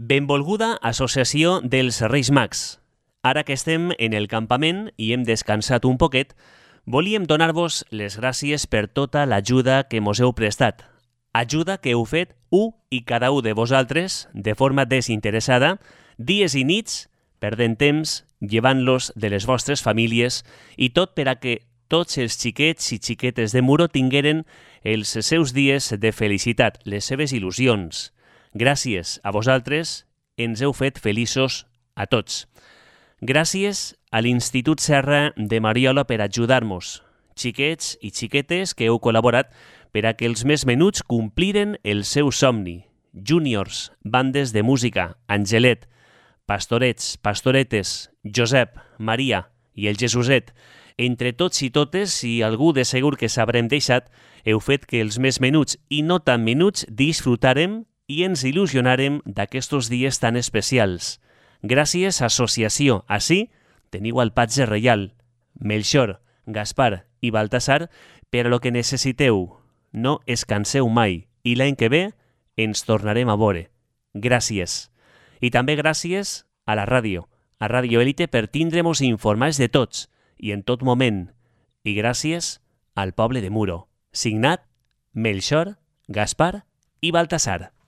Benvolguda Associació dels Reis Mags. Ara que estem en el campament i hem descansat un poquet, volíem donar-vos les gràcies per tota l'ajuda que mos heu prestat. Ajuda que heu fet i cada un de vosaltres de forma desinteressada, dies i nits, perdent temps, llevant-los de les vostres famílies i tot per a que tots els xiquets i xiquetes de Muro tingueren els seus dies de felicitat, les seves il·lusions. Gràcies a vosaltres, ens heu fet feliços a tots. Gràcies a l'Institut Serra de Mariola per ajudar-nos, xiquets i xiquetes que heu col·laborat per a que els més menuts compliren el seu somni. Júniors, bandes de música, Angelet, pastorets, pastoretes, Josep, Maria i el Jesuset. Entre tots i totes, i algú de segur que s'haurem deixat, heu fet que els més menuts i no tan menuts disfrutarem i ens il·lusionarem d'aquestos dies tan especials. Gràcies, associació. Així teniu el patge reial, Melchor, Gaspar i Baltasar, per a lo que necessiteu. No es canseu mai i l'any que ve ens tornarem a veure. Gràcies. I també gràcies a la ràdio, a Ràdio Élite, per tindre-mos informats de tots i en tot moment. I gràcies al poble de Muro. Signat Melchor, Gaspar i Baltasar.